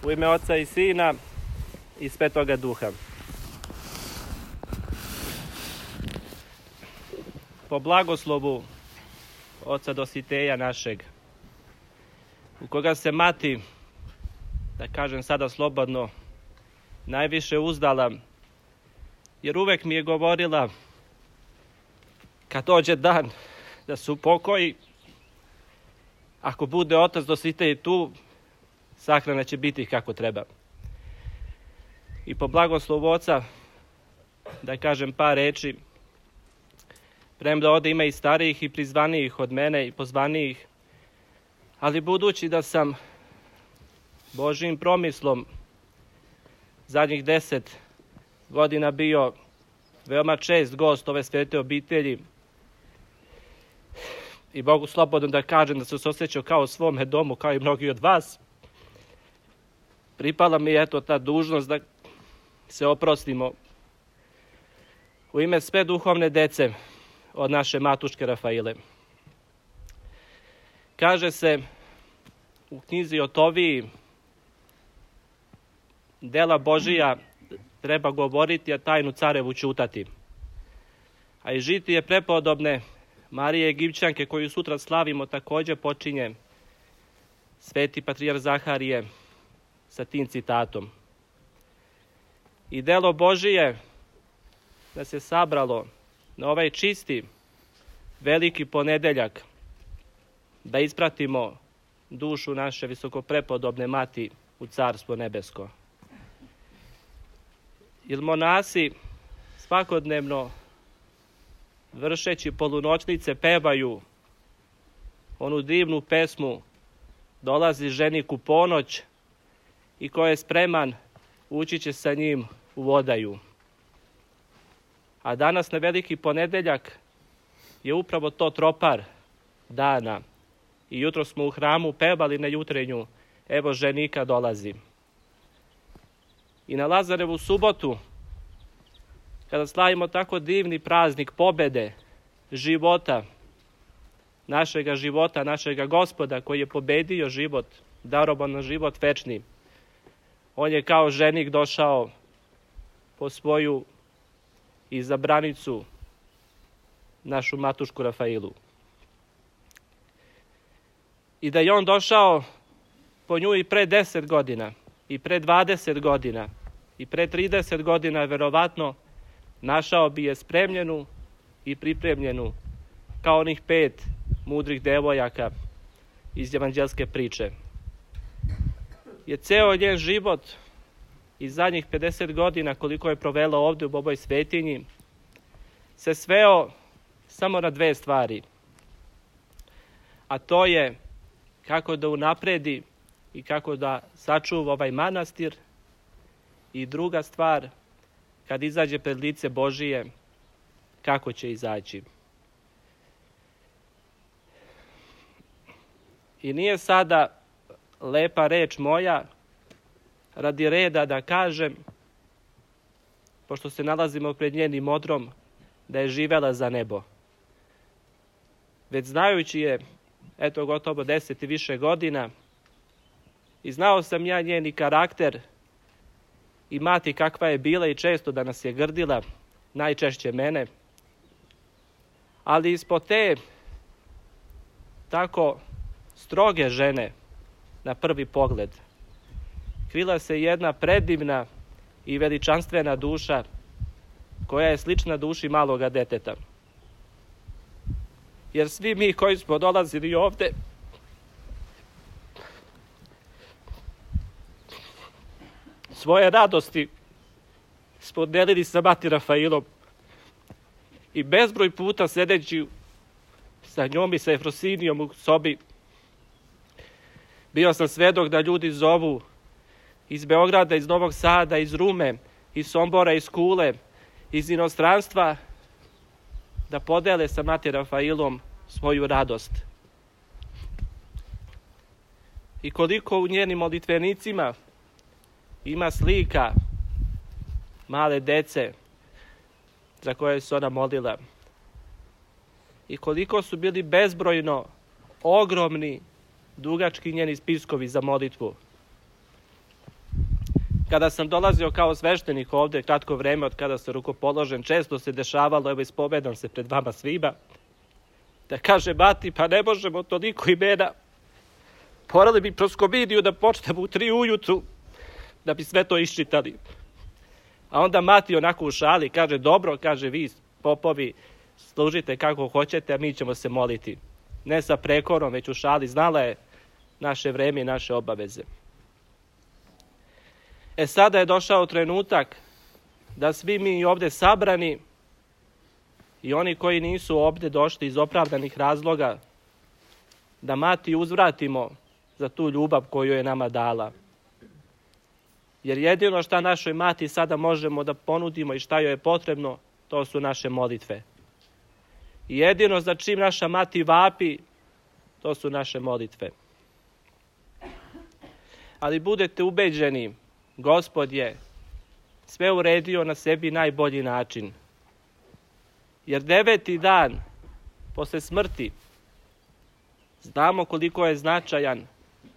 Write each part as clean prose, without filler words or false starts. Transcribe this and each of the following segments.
U ime Oca i Sina i Svetoga Duha. Po blagoslovu Oca Dositeja našeg, u koga se mati, da kažem sada slobodno, najviše uzdala, jer uvek mi je govorila kad dođe dan da se upokoji, ako bude Otac Dositej tu, sahrana će biti kako treba. I po blagoslovu Oca, da kažem par reči, premda ovde ima i starijih i prizvanijih od mene i pozvanijih, ali budući da sam Božjim promislom zadnjih 10 godina bio veoma čest gost ove svete obitelji i mogu slobodno da kažem da sam se osjećao kao u svome domu, kao i mnogi od vas, pripala mi je ta dužnost da se oprostimo u ime sve duhovne dece od naše matuške Rafaile. Kaže se u knjizi Otoviji, dela Božija treba govoriti, a tajnu carevu ćutati. A i žitije prepodobne Marije Egipćanke, koju sutra slavimo, također počinje sveti patrijarh Zaharije sa tim citatom. I delo Božije da se sabralo na ovaj čisti, veliki ponedeljak, da ispratimo dušu naše visokoprepodobne mati u Carstvo nebesko. Jer monasi svakodnevno, vršeći polunoćnice, pevaju onu divnu pesmu Dolazi ženik u ponoć i ko je spreman ući će sa njim u vodaju. A danas na veliki ponedeljak je upravo to tropar dana. I jutro smo u hramu pevali na jutrenju Evo ženika dolazi. I na Lazarevu subotu, kada slavimo tako divni praznik pobede, života, našega Gospoda koji je pobedio život, daroban na život večni, on je kao ženik došao po svoju izabranicu, našu matušku Rafailu. I da je on došao po nju i pre 10 godina, i pre 20 godina, i pre 30 godina, verovatno, našao bi je spremljenu i pripremljenu, kao onih 5 mudrih devojaka iz evanđelske priče. Je ceo njen život i zadnjih 50 godina koliko je provela ovde u ovoj svetinji se sveo samo na 2 stvari. A to je kako da unapredi i kako da sačuva ovaj manastir, i druga stvar, kad izađe pred lice Božije, kako će izaći. I nije sada lepa reč moja radi reda da kažem, pošto se nalazimo pred njenim odrom, da je živela za nebo. Već znajući je, eto gotovo 10 i više godina, i znao sam ja njeni karakter i mati kakva je bila i često da nas je grdila, najčešće mene, ali ispod te tako stroge žene na prvi pogled krila se jedna predivna i veličanstvena duša koja je slična duši maloga deteta. Jer svi mi koji smo dolazili ovde svoje radosti smo delili sa mati Rafailom i bezbroj puta sedeći sa njom i sa Efrosinijom u sobi bio sam svedok da ljudi zovu iz Beograda, iz Novog Sada, iz Rume, iz Sombora, iz Kule, iz inostranstva, da podele sa mati Rafailom svoju radost. I koliko u njenim molitvenicima ima slika male dece za koje se ona molila. I koliko su bili bezbrojno ogromni, dugački njeni spiskovi za molitvu. Kada sam dolazio kao sveštenik ovdje, kratko vreme od kada sam rukopoložen, često se dešavalo, evo ispovedam se pred vama svima, da kaže mati, pa ne možemo toliko imena, morali bi proskomidiju da počnemo u 3 ujutru, da bi sve to iščitali. A onda mati onako u šali kaže, dobro, kaže, vi popovi služite kako hoćete, a mi ćemo se moliti. Ne sa prekorom, već u šali, znala je naše vreme i naše obaveze. Sada je došao trenutak da svi mi ovdje sabrani i oni koji nisu ovdje došli iz opravdanih razloga, da mati uzvratimo za tu ljubav koju je nama dala. Jer jedino šta našoj mati sada možemo da ponudimo i šta joj je potrebno, to su naše molitve. I jedino za čim naša mati vapi, to su naše molitve. Ali budete ubeđeni, Gospod je sve uredio na sebi najbolji način. Jer 9. dan posle smrti znamo koliko je značajan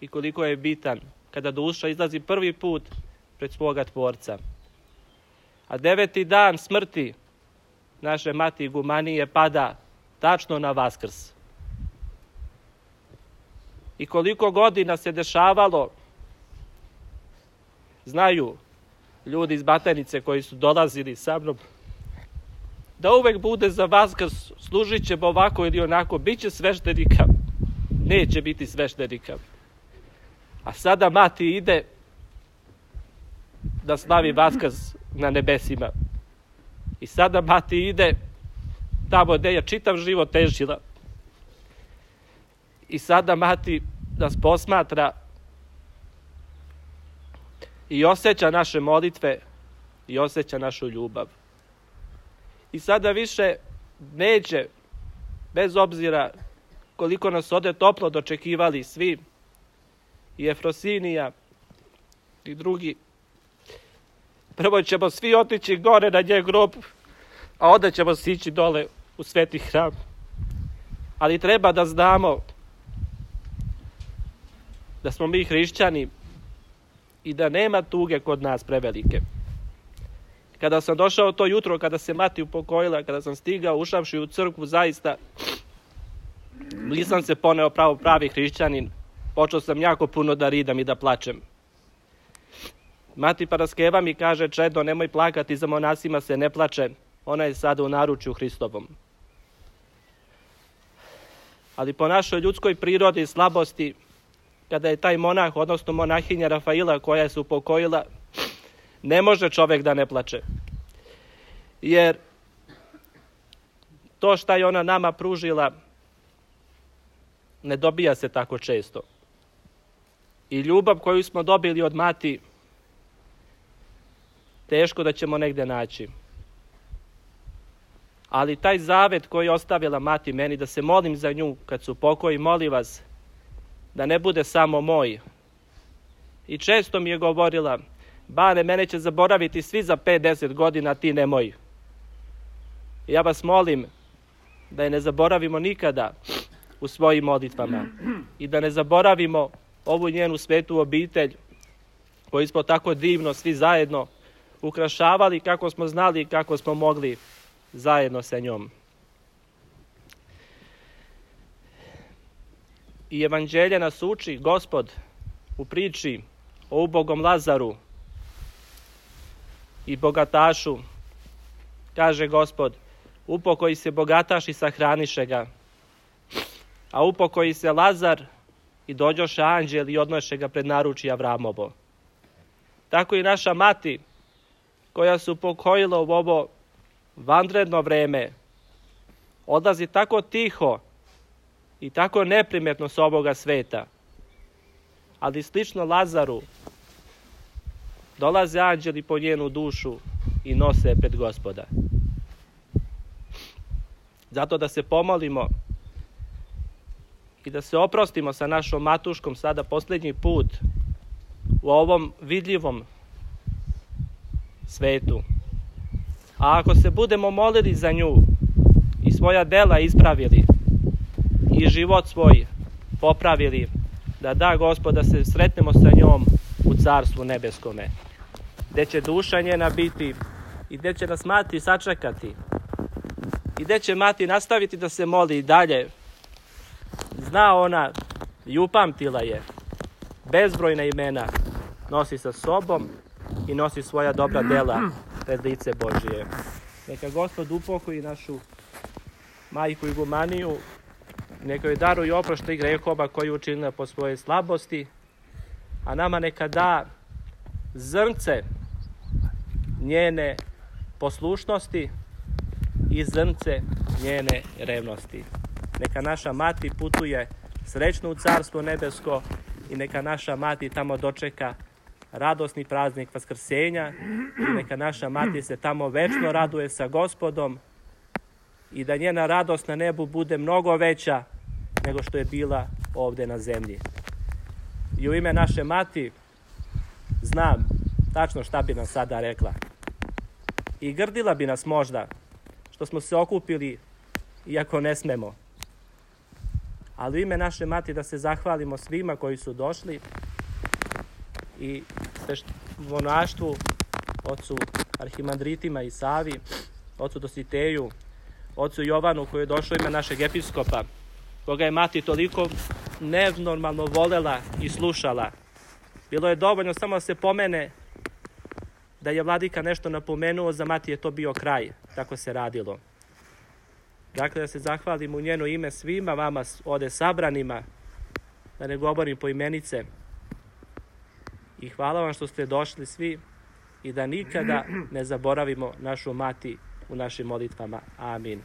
i koliko je bitan kada duša izlazi prvi put pred svoga Tvorca. A 9. dan smrti naše mati Igumanije pada tačno na Vaskrs. I koliko godina se dešavalo, znaju ljudi iz Batajnice koji su dolazili sa mnom, da uvek bude za Vaskrs, služit ćemo ovako ili onako, bit će sveštenika, neće biti sveštenika. A sada mati ide da slavi Vaskrs na nebesima. I sada mati ide tamo gde je čitav život težila. I sada mati nas posmatra i osjeća naše molitve i osjeća našu ljubav. I sada više neće, bez obzira koliko nas ovde toplo dočekivali svi, i Efrosinija i drugi, prvo ćemo svi otići gore na njen grob, a onda ćemo sići dole u sveti hram. Ali treba da znamo da smo mi hrišćani i da nema tuge kod nas prevelike. Kada sam došao to jutro, kada se mati upokojila, kada sam stigao, ušavši u crkvu, zaista nisam se poneo pravi hrišćanin. Počeo sam jako puno da ridam i da plačem. Mati Paraskeva mi kaže, čedo, nemoj plakati, za monasima se ne plače, ona je sada u naručju Hristovom. Ali po našoj ljudskoj prirodi i slabosti, kada je taj monah, odnosno monahinja Rafaila koja se upokojila, ne može čovek da ne plače. Jer to šta je ona nama pružila ne dobija se tako često. I ljubav koju smo dobili od mati teško da ćemo negde naći. Ali taj zavet koji je ostavila mati meni, da se molim za nju kad su pokoji, molim vas da ne bude samo moj. I često mi je govorila, Bane, mene će zaboraviti svi za 5-10 godina, ti nemoj. I ja vas molim da je ne zaboravimo nikada u svojim molitvama i da ne zaboravimo ovu njenu svetu obitelj koju smo tako divno svi zajedno ukrašavali kako smo znali i kako smo mogli zajedno sa njom. I evanđelje nas uči, Gospod, u priči o ubogom Lazaru i bogatašu, kaže Gospod, upokoji se bogataš i sahraniše ga, a upokoji se Lazar i dođoše anđeli i odnoše ga pred naručje Avramovo. Tako i naša mati, koja se upokojila u ovo vanredno vreme, odlazi tako tiho i tako neprimetno s ovoga sveta. Ali slično Lazaru, dolaze anđeli po njenu dušu i nose pred Gospoda. Zato da se pomolimo i da se oprostimo sa našom matuškom sada posljednji put u ovom vidljivom svetu. A ako se budemo molili za nju i svoja dela ispravili i život svoj popravili, da da Gospod da se sretnemo sa njom u Carstvu nebeskome. gde će duša njena biti i gde će nas mati sačekati i gde će mati nastaviti da se moli i dalje. Zna ona i upamtila je, bezbrojna imena nosi sa sobom i nosi svoja dobra dela pred lice Božije. Neka Gospod upokoji našu majku Igumaniju, neka joj daruje oproštaj grehova koji je učinila po svojoj slabosti, a nama neka da zrnce njene poslušnosti i zrnce njene revnosti. Neka naša mati putuje srećno u Carstvo nebesko i neka naša mati tamo dočeka radosni praznik Vaskrsenja i neka naša mati se tamo večno raduje sa Gospodom i da njena radost na nebu bude mnogo veća nego što je bila ovde na zemlji. I u ime naše mati znam tačno šta bi nam sada rekla. I grdila bi nas možda što smo se okupili iako ne smemo. Ali u ime naše mati da se zahvalimo svima koji su došli i monaštvu, ocu arhimandritima i Savi, ocu Dositeju, ocu Jovanu koji je došao ime našeg episkopa, koga je mati toliko nenormalno volela i slušala. Bilo je dovoljno samo da se pomene da je vladika nešto napomenuo, za mati je to bio kraj. Tako se radilo. Dakle, da se zahvalim u njeno ime svima vama ovde sabranima, da ne govorim poimenice. I hvala vam što ste došli svi i da nikada ne zaboravimo našu mati u našim molitvama. Amin.